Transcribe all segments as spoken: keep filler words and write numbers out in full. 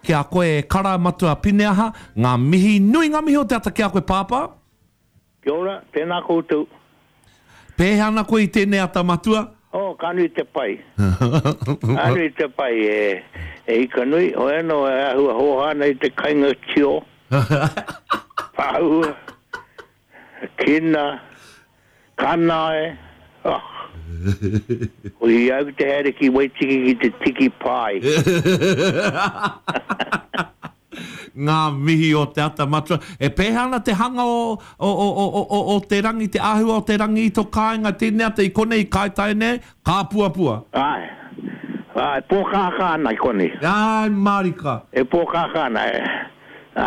Ki a koe e kara Matua Pineaha, ngā mihi nui, ngā mihi o te ata ki a koe Pāpā. Kia ora, tēnā koutou. Pēhea ana koe i tēnei ata Matua? Oh, ka nui te pai. Ka nui te pai e, e ika nui. Hoi anō e āhua hōhā nei te kainga tio. Pāua, kina, kanae, oh. Ko hi au te haere ki Waitiki ki te tiki pai. Ngā mihi o te ata Matua. E pēhea ana te hanga o, o, o, o, o, o te rangi, te āhua o te rangi i tō kāinga tēnei ata i konei i Kaitaia nei, kāpuapua? Āe, āe, pōkākā ana i konei. Āe, mārika. E pōkākā ana, e.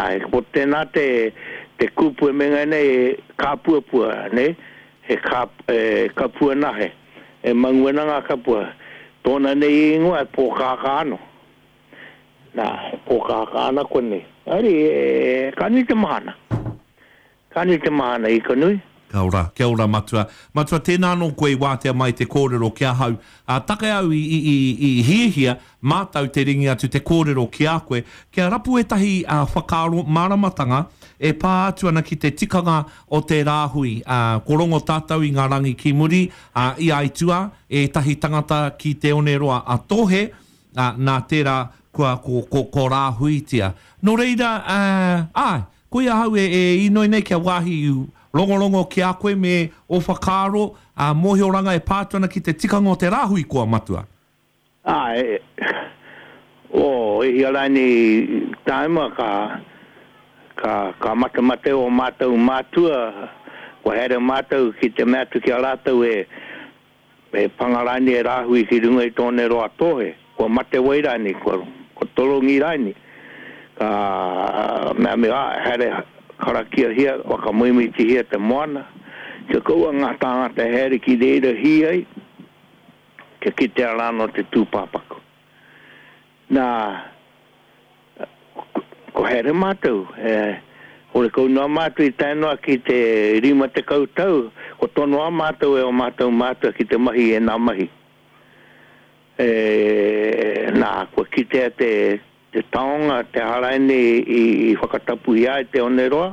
Āe, ko tēnā te, te kupu e menga nei, kāpuapua, nei, he kā, e, kapua nahe, e mangu ana ngā kapua. Tōna nei ingoa e pōkākā anō. Nā, e pōkākā ana konei. Ari, e, ka nui te mahana. Ka nui te mahana i ka nui. Kia ora, kia ora Matua. Matua, tēnā anō koe i wātea mai te kōrero ki ahau. Ā, take au i, i, i, i hiahia mātau te ringi atu te kōrero ki a koe, kia rapu ētahi ā, whakaaro māramatanga e pā atu ana ki te tikanga o te rāhui. Ā, ko rongo tātou i ngā rangi ki muri, ā, i aituā ētahi tangata ki Te Oneroa a Tōhe, ā, nā tērā kua ko, ko, ko rāhuitia. Nō reira, ā, āe, koia ahau e, e inoi nei kia wāhi rongorongo ki a koe me ō whakaaro, ā, mōhioranga e pā atu ana ki te tikanga o te rāhui koa, Matua. Āe, oh, e hia rānei tāima ka, ka, ka matemate ō mātou mātua, kua haere mātou ki te mea atu ki a rātou e, e panga rānei e rāhui ki runga i tōne roa tōhe, kua mate wai rānei, kua, kua torongi rānei. Ka mea mea, haere karakiahia, whakamoemitihia te moana, kia kaua ngā tāngata e haere ki reira hī ai, kia kitea rānō te tūpāpaku. Nā, ko haere mātou, e, horekau noa mātou i tae noa ki te rima tekau tau, ko tonoa mātou e o mātou mātua ki te mahi e nā mahi. E, nā, kua kitea te, te taonga, te haraine i, i whakatapuhia ai te oneroa,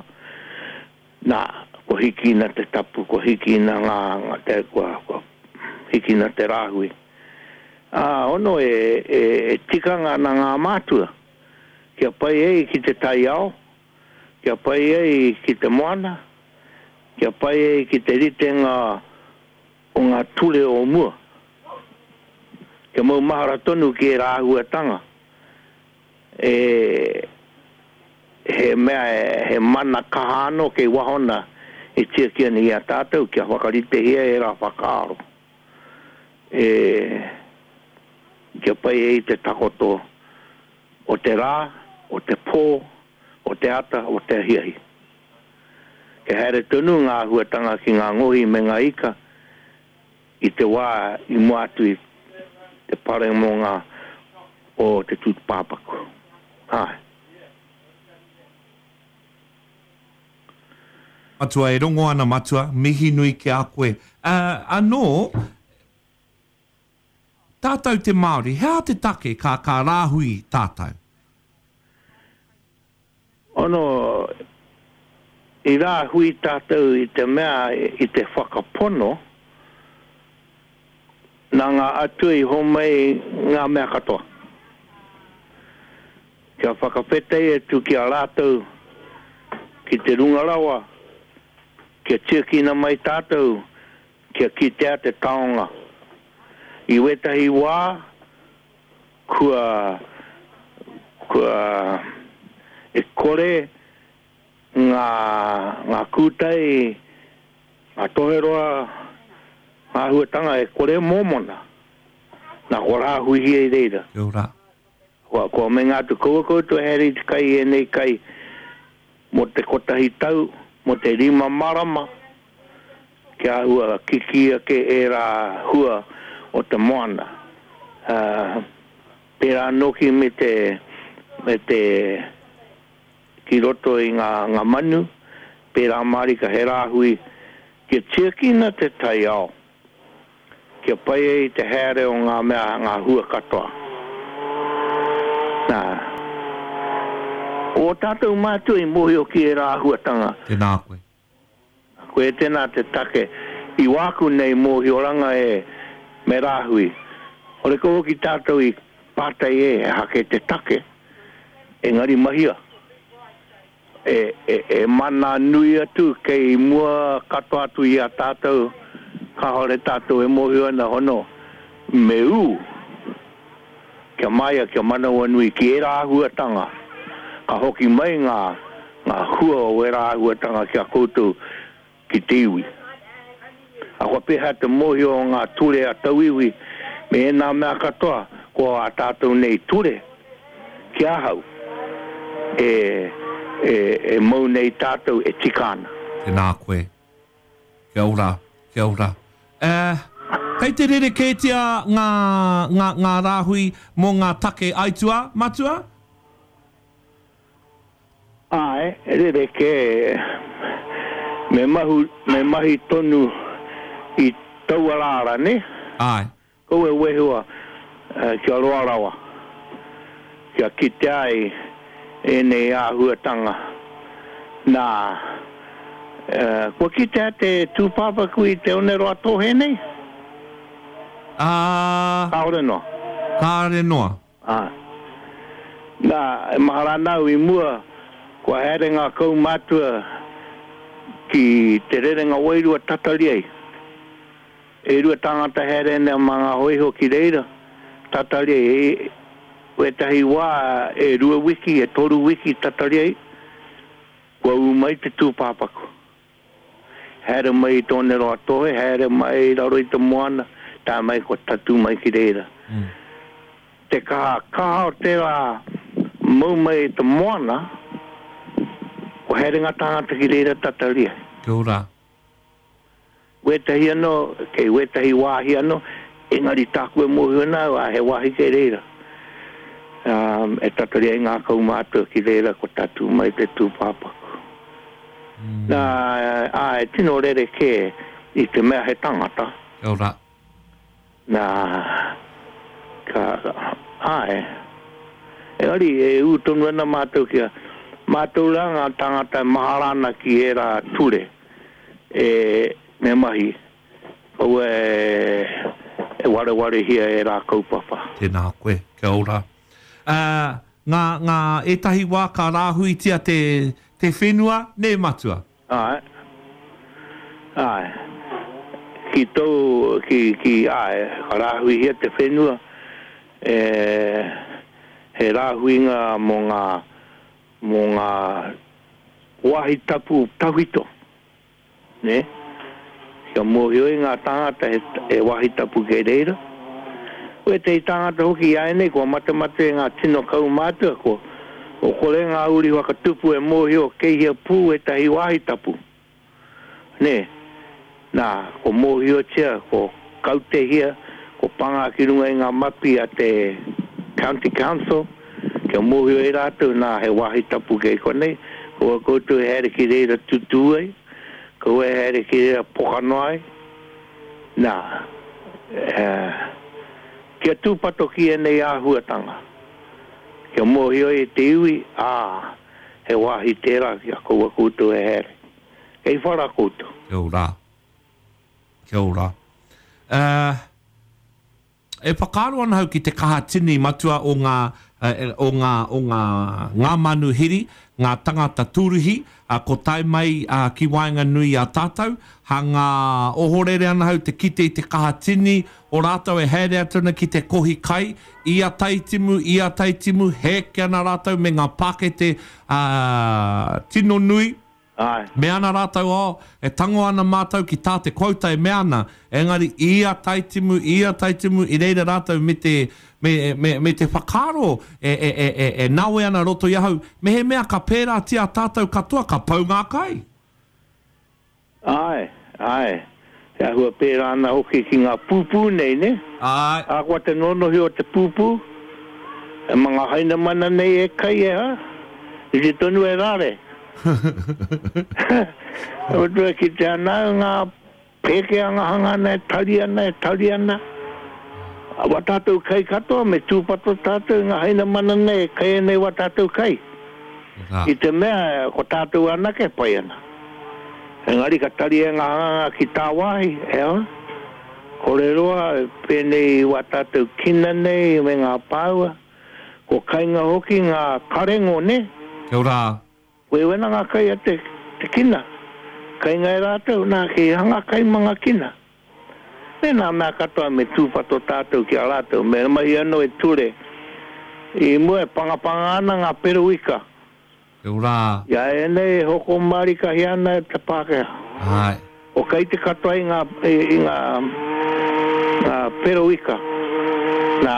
nā, kua hikina te tapu, kua hikina ngā, ngā te, kua, kua hikina te rāhui. Ā, ono e, e, e tikanga ana ngā mātua, kia pai ai ki te taiao, kia pai ai ki te moana, kia pai ai ki te ritenga o ngā ture o mua. Kia mau mahara tonu ki e rāhuatanga. E, he mea, he mana kaha anō kei wahona e tiaki ana i a tātou kia whakaritehia e rā whakaaro. E, kia pai ai te takoto o te rā, o te pō, o te ata, o te ahiahi. Kia haere tonu ngā āhuatanga ki ngā ngohi me ngā ika i te wā i mua atu i te paremonga o te tūpāpaku. Āe. Matua, e rongo ana Matua, mihi nui ki a koe. Uh, anō, tātou te Māori, he aha te take ka, ka rāhui tātou? Ono, i rāhui tātou i te mea, i te whakapono, nā ngā atua i homai ngā mea katoa. Kia whakawhetai atu ki a rātou, ki te runga rawa, kia tiakina mai tātou, kia kitea te taonga. I wētahi wā, kua, kua e kore ngā, ngā kūtai, ngā toheroa, ngā āhuatanga e kore mōmona. Nā kua rāhuihia i reira. Kia ora. Kua, kua menga atu kaua koutou haere i te kai i ēnei kai mō te kotahi tau, mō te rima marama, kia āhua kiki ake ērā hua o te moana. Uh, pērā nōki me te, me te ki roto i ngā, ngā manu, pērā mārika he rāhui, kia tiakina te taiao, kia pai ai te haere o ngā mea, ngā hua katoa. Nā, O tātou mātua i mōhio ki e rā āhuatanga. Tēnā koe. Koe tēnā te take. I wāku nei mōhioranga e me rāhui. Ore ko hoki tātou i pātai e hake te take, engari mahia. E, e, e mana nui atu kei mua katoa atu i a tātou, kāhore tātou e mōhio ana hono, me ū, kia maia, kia manawa nui ki e āhuatanga. Ka hoki mai ngā, ngā hua o e āhuatanga ki a koutou ki te iwi. A kua peha te mōhio o ngā ture a tauiwi, me e nā mea katoa, ko a tātou nei ture, ki ahau, e, e, e mau nei tātou e tika ana. Tēnā koe. Kia ora, kia ora. Eh, kei te rerekētia ngā, ngā, ngā rāhui mō ngā take aituā, matua? Āe, rerekē. Me, mahu, me mahi tonu i taua rāra, ne? Āe. Kau e wehua uh, kia roa rawa, kia kite ai e nei āhuatanga. Nā, uh, kua kitea te tūpāpaku i te Oneroa Tōhe nei? Uh, Kāore noa. Kāore noa. Āe. Nā, e mahara nau i mua, kua haere ngā kaumātua ki te rerenga wairua tatari ai. E rua tāngata haere nei mā ngā hoiho ki reira, tatari ai. E, wētahi wā e rua wiki, e toru wiki tatari ai, kua ū mai te tūpāpaku. Haere mai i tō Oneroa Tōhe, haere mai i raro i te moana, tā mai kua tatū mai ki reira. Mm. Te kaha, kaha o tērā mau mai i te moana, kua haere ngā tāngata ki reira tatari ai. Kia ora. Wētahi anō, kei wētahi wāhi anō, engari tāku e mōhio ana, a he wāhi kei reira. Um, e tatari ai ngā kaumātua ki reira ko tatū mai te tūpāpaku. Mm. Nā, ā, e tino rerekē i te mea he tangata. Kia ora. Nā, ka, āe. Engari, e ū tonu ana mātou kia, mātou rā ngā tangata e mahara ana ki ērā ture, e, me mahi, kaua e, e warewarehia e rā kaupapa. Tēnā koe, kia ora. Uh, ngā, ngā ētahi wā ka rāhuitia te, te whenua, nē matua? Āe, āe. Ki tō, ki, ki, āe, ka rāhuihia te whenua, e, he rāhuinga mō ngā, mō ngā wāhi tapu tawhito, ne? Kia mōhio i ngā tāngata he, he wāhi tapu kei reira. Wētahi tāngata hoki i ai nei, kua matemate ngā tino kaumātua, ko, o kore ngā uri whakatupu e mōhio kei hea pū ētahi wāhi tapu. Nē, nā, ko mōhiotia, ko kautehia, ko panga ki runga i ngā mapi a te County Council, kia mōhio e rātou, nā, he wāhi tapu kei konei, kua koutou e haere ki reira tutū ai, kua e haere ki reira poka noa ai. Nā, eh, kia tūpato ki ēnei āhuatanga. Kia mōhio e te iwi, ā, he wāhi tērā kia kaua koutou e haere. Kei whara koutou. Kia ora. Kia ora. Uh, e whakaaro ana hau ki te kaha tini matua o ngā, uh, o ngā, o ngā, ngā manuhiri, ngā tangata tūruhi, uh, ko tae mai uh, ki waenganui a tātou, ha ngā ohorere ana hau te kite i te kaha tini o rātou e haere atu ana ki te kohi kai, i a Taitimu, i a Taitimu, heke ana rātou me ngā pākete uh, tino nui. Āe. Me ana rātou, oh, e tango ana mātou ki tā te quota e me ana, engari i a Taitimu, i a Taitimu, i reira rātou me te, me, me, me te whakaaro e, e, e, e, e nawe ana roto i ahau, me he mea ka pērātia tātou katoa, ka pau ngā kai. Āe, āe. Te āhua pērā ana hoki ki ngā pūpū nei, ne? Āe. A kua te nonohi o te pūpū, e mga hainamana nei e kai e ha, i te tonu e rāre. Otua ki te ana ngā pēke anga hanga ana e tari ana, e tari ana. A wa tātou kai katoa, me tūpato tātou ngā hainamana nei, e kai nei wa tātou kai. I te mea, ko tātou anake pai ana. Engari ka tari e ngā hanganga ki tāwāhi, e o? Kore roa, pēnei wā tātou kina nei me ngā pāua. Ko kainga hoki ngā karengo, ne? Kia ora. Koe wena ngā kai a te, te kina. Kainga e rātou, nā ki hanga kai ma ngā kina. Me nā mea katoa me tūpato tātou ki a rātou, me mahi anō e ture. I mua e pangapanga ana ngā peruika. Kia ora. Ia e nei hoko marika hi ana e te Pākehā. Ai. O kai te katoa i ngā, i, i ngā, ngā peruika. Nā,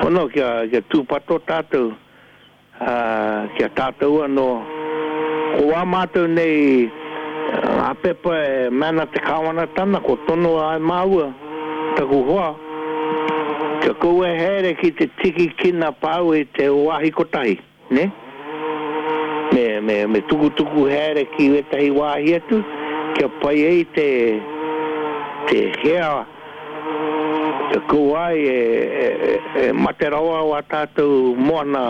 ono kia, kia tūpato tātou, uh, kia tātou anō. Ko wā mātou nei, ngā pepa e mana te kāwanatana, ko tono ai māua, taku hoa, kia koe here ki te tiki kina pāu i te wāhi kotahi, ne? Me, me, me tukutuku here ki wetahi wāhi atu, kia pai ei te, te hea, te kua ai e, e, e, e mate rawa wā tātou moana,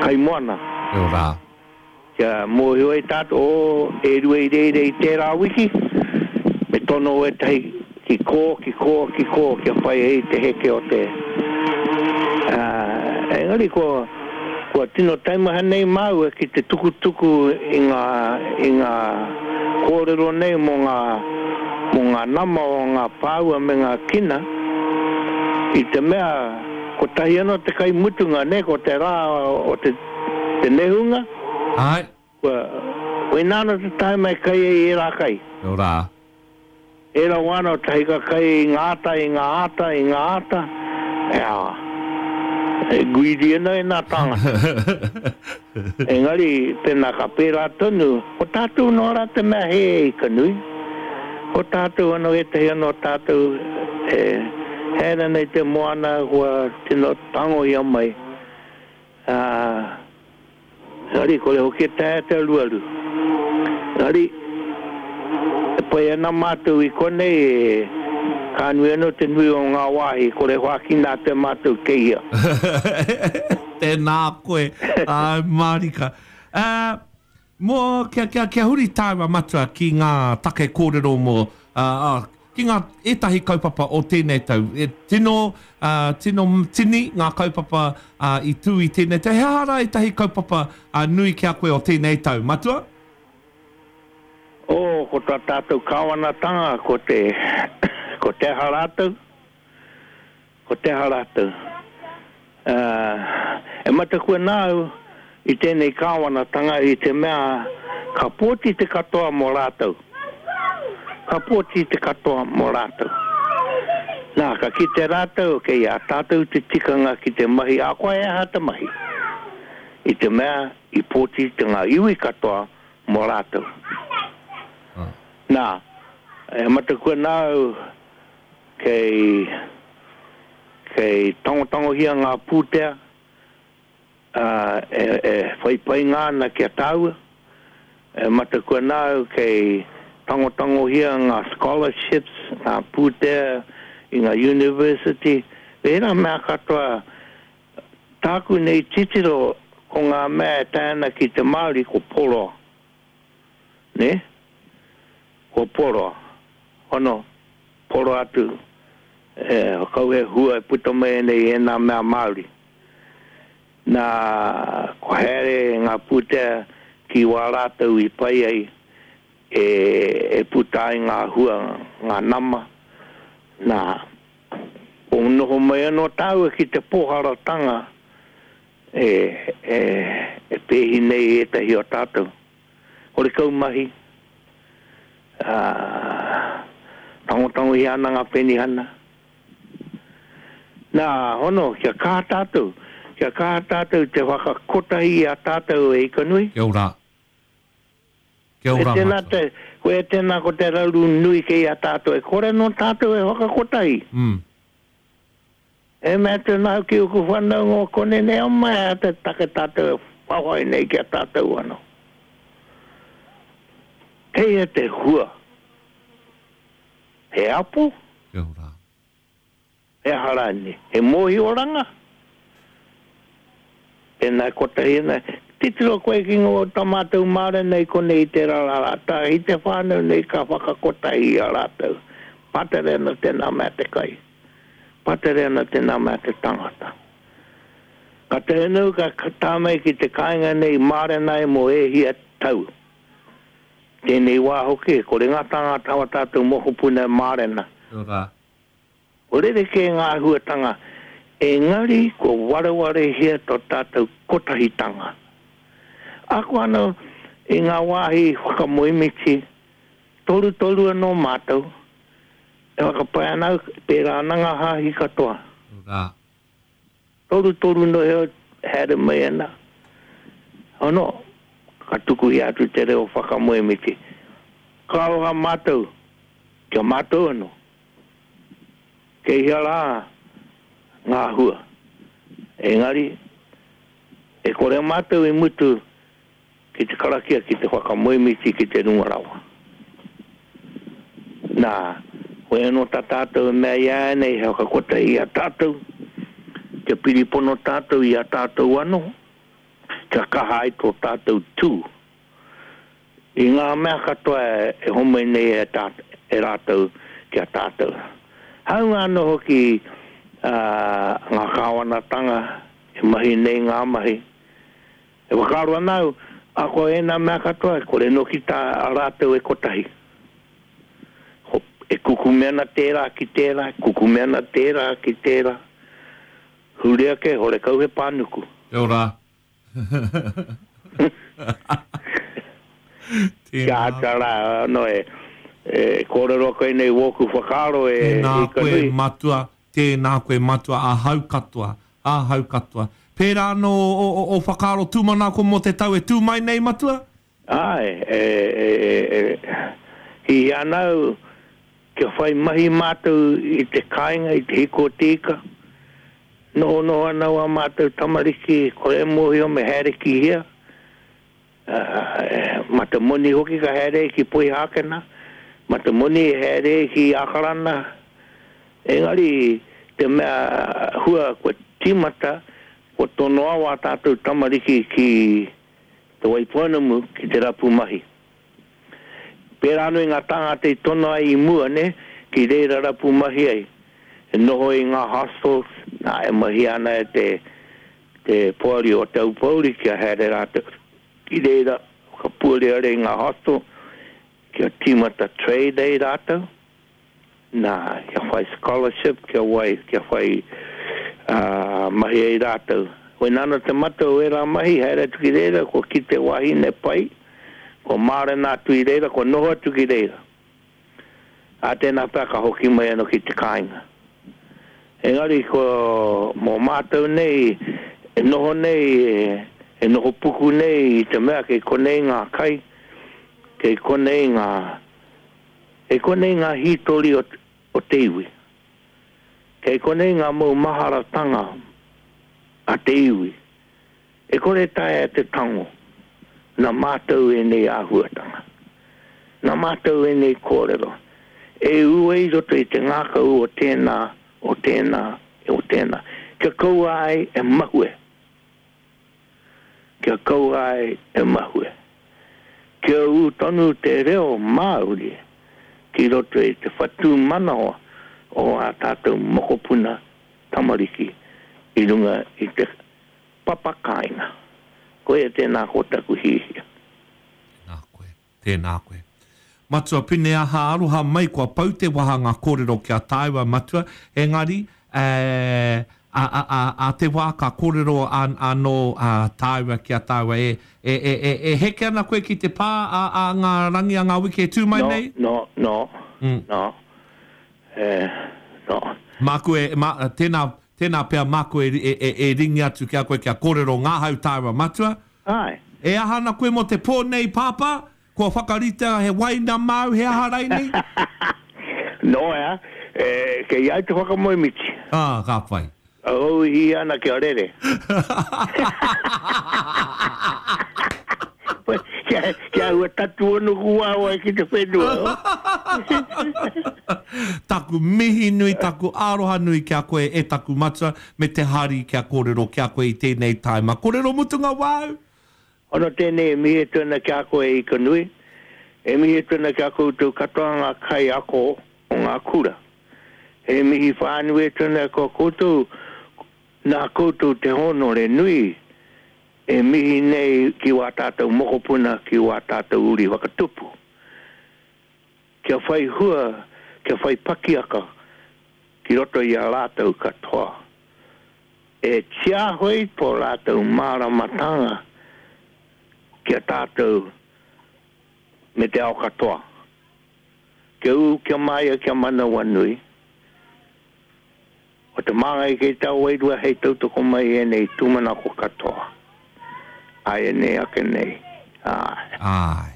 kai moana. Kia ora. Kia mōhio ai tātou, o, e rua i reire i tērā wiki, me tono wetahi ki kō, ki kō, ki kō, kia pai ei te heke o te. Uh, engari ko, kua tino taimaha nei māua ki te tukutuku i ngā, i ngā kōrero nei mō ngā, mō ngā nama o ngā pāua me ngā kina, i te mea, kotahi anō te kai mutunga, ne, ko te rā o te, te nehunga. Ai. Kua, koe nāna te taima e kai e rā kai. Kia ora. E rā wāna o tahi ka kai i ngā ata, i ngā ata, i ngā ata. Ea, e guiri ana e nā tāngata. Engari, pēnā ka pērā tonu, ko tātou no rā te mea he e i kanui. Ko tātou anō ētahi anō tātou e hera nei te moana kua tino tangohia mai. Uh, Engari, kore hoki e taea te aruaru. Engari, e pai ana mātou i konei, e, ka nui anō te nui o ngā wāhi, kore whākina te mātou keia. Tēnā koe, ai marika. Uh, mō, kia, kia, kia huri tāua matua ki ngā take kōrero mō, uh, uh, ki ngā ētahi kaupapa o tēnei tau. E, tino, uh, tino tini ngā kaupapa uh, i tū i tēnei tau. He aha rā ētahi kaupapa uh, nui ki a koe o tēnei tau, matua? O, ko tā tātou kāwanatanga, ko te, ko te aha rātou, ko te aha rātou. Uh, e matakua nāu i tēnei kāwanatanga i te mea ka pōti te katoa mō rātou. Ka pōti te katoa mō rātou. Nā, ka kite rātou, kei a tātou te tikanga ki te mahi, a koe aha te mahi. I te mea, i pōti te ngā iwi katoa mō rātou. Ah. Nā, e matakua nāu kei, kei tangotangohia ngā pūtea, uh, e, e whaipai ngā ana kia tāua. E matakua nāu kei tangotangohia ngā scholarships, ngā pūtea i ngā university. Wērā mea katoa, tāku nei titiro ko ngā mea e tae ana ki te Māori ko poroa. Ne? Ko poroa. Ono, poroa atu, e, kau he hua e puta mai nei e nā mea Māori. Nā, ko here ngā pūtea ki wā rātou i pai ai, e, e puta ai ngā hua, ngā nama. Nā, o noho mai anō tāua ki te pōharatanga e, e, e pēhi nei ētahi o tātou. Kore kau mahi, uh, tangotangohia ana ngā penihana. Nā, hono, kia kaha tātou, kia kaha tātou te whakakotahi i a tātou e ikanui. Kia ora. Kia ora, E tēnā matua. te, ko e tēnā ko te rauru nui kei a tātou, e kore no tātou e whakakotahi. Mm. E mea te nau ki uku whanau ngō kone nei o mai a te take tātou e whawhai nei ki a tātou anō. Kei e te hua. He apo, Kia ora. he harani, he mohi oranga. Tēnā kotahi ana. Titiro koe ki ngō tā mātou mārena i konei i te rā rā tā i te whānau nei ka whakakotahi i a rātou. Patere ana tēnā mea te kai. Patere ana tēnā mea te tangata. Ka te henu ka tā mai ki te kāinga nei mārena e mō e hia tau. Tēnei wā hoki, kore ngā tāngata wa tātou mokopuna mārena. Ora. O rere ke ngā huatanga, engari ko wareware hia tō tātou kotahitanga. Ako anō i ngā wāhi whakamoemiti, toru toru anō mātou, e whakapae ana au, pērā ana ngā hāhi katoa. Ora. Toru toru no heo haere mai ana. Ono, ka tukuhi atu te reo whakamoemiti. Ka aroha mātou, kia mātou anō. Kei hea rā ngā hua. Engari, e kore mātou i mutu ki te karakia, ki te whakamoemiti, ki te runga rawa. Nā, koe anō tā tātou e mea i a nei, he whakakota i a tātou, kia piripono tātou i a tātou anō, kia kaha ai tō tātou tū. I ngā mea katoa e, e homai nei e, tā, e rātou ki a tātou. Haunga anō hoki uh, ngā kāwanatanga e mahi nei ngā mahi. E whakaaro ana au, ako e nā mea katoa, kore noki tā a rātou e kotahi. Ho, e kukume ana tērā ki tērā, kukume ana tērā ki tērā. Huri ake, hore kau he pānuku. Kia ora. Kia ata rā, no e, e kōrero koe nei wōku whakaaro e Tēnā i ka koe nui. matua, tēnā koe matua, ahau katoa, ahau katoa. Pērā anō o, o, o whakaaro tūmanako mō te tau e tū mai nei matua? Ai, e, e, e, e, hi ana au, kia whai mahi mātou i te kāinga, i te hiko o te ika. Noho noho ana wā mātou tamariki, kore mōhio me haere ki hea. Uh, ma te moni hoki ka haere ki Poihākena, ma te moni e haere ki Akarana. Engari, te mea hua kua tīmata, kua tonoa wā tātou tamariki ki te Waipounamu, ki te rapu mahi. Pērā anō i ngā tāngata i tono ai i mua, ne, ki reira rapu mahi ai. E noho i ngā hostels, nā e mahi ana e te, te poari o Te Aupōuri kia haere rātou ki reira, whakapuareare i ngā hostel, kia tīmata trade ai rātou, nā, kia whai scholarship, kia wai, kia whai uh, mahi ai rātou. Koe nana te mata o era mahi, haere atu ki reira, kua ki te wahine pai, kua mārena atu i reira, kua noho atu ki reira. A tēnā pea ka hoki mai anō ki te kāinga. Engari ko mō mātou nei, e noho nei, e, e noho puku nei i te mea kei konei ngā kai, kei konei ngā, kei konei ngā hītori o, o te iwi. Kei konei ngā maumaharatanga a te iwi. E kore taea te tango, nā mātou e nei āhuatanga. Nā mātou e nei kōrero. E ue i roto i te ngākau o tēnā, o tēnā, o tēnā. Kia kaua ai e mahue. Kia kaua ai e mahue. Kia ū tonu te reo Māori ki roto i te whatu manawa o ā tātou mokopuna tamariki i runga i te papakāinga. Koia tēnā ko taku hihia. Tēnā koe, tēnā koe. Matua Pine aha aroha mai kua pau te waha ngā kōrero kia tāua matua, engari, e, a, a, a, a te wā ka kōrero an, anō a tāua kia tāua e, e, e, e, e heke ana koe ki te pā a, a ngā rangi a ngā wiki e tū mai No, nei? no, no, Mm. no, eh, no. Māku e, ma, tēnā, tēnā pea māku e, e, e, e ringi atu kia koe kia kōrero ngā hau tāua matua. Ai. E aha ana koe mō te pō nei pāpā? Kua whakaritea he waina māu, he aha raini? No, ea, e, kei ai te whakamoemiti. Ah, ka whai. Au i ana kia rere. Kia, kia ua tatu ono kuawa ki te whenua. Taku mihi nui, taku aroha nui ki a koe e taku matua, me te hari kia kōrero ki a koe i tēnei taima. Kōrero mutunga wāu? Ono tēnei e mihi atu ana ki a koe e Ika Nui, e mihi atu ana ki a koutou katoa ngā kaiako o ngā kura. E mihi whānui atu ana ki a koutou, nā koutou te hōnore nui e mihi nei ki wā tātou mokopuna, ki wā tātou uri whakatupu. Kia whai hua, kia whai pakiaka ki roto i a rātou katoa. E tiaho ai tō rātou māramatanga ki a tātou me te ao katoa. Kia ū, kia māia, kia manawanui. O te māngai kei tā wairua hei tautoko mai ēnei tūmanako katoa. Ai nei ake nei. Ai. Ai.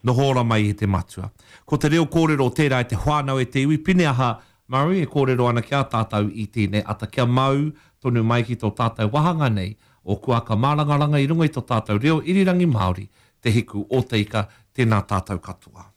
Noho ora mai e te matua. Ko te reo kōrero tērā e te whānau e te iwi Pineaha Murray e kōrero ana ki a tātou i tēnei ata kia mau tonu mai ki tō tātou wahanga nei o Kuaka Mārangaranga i runga i tō tātou reo irirangi Māori, te hiku o te ika, tēnā tātou katoa.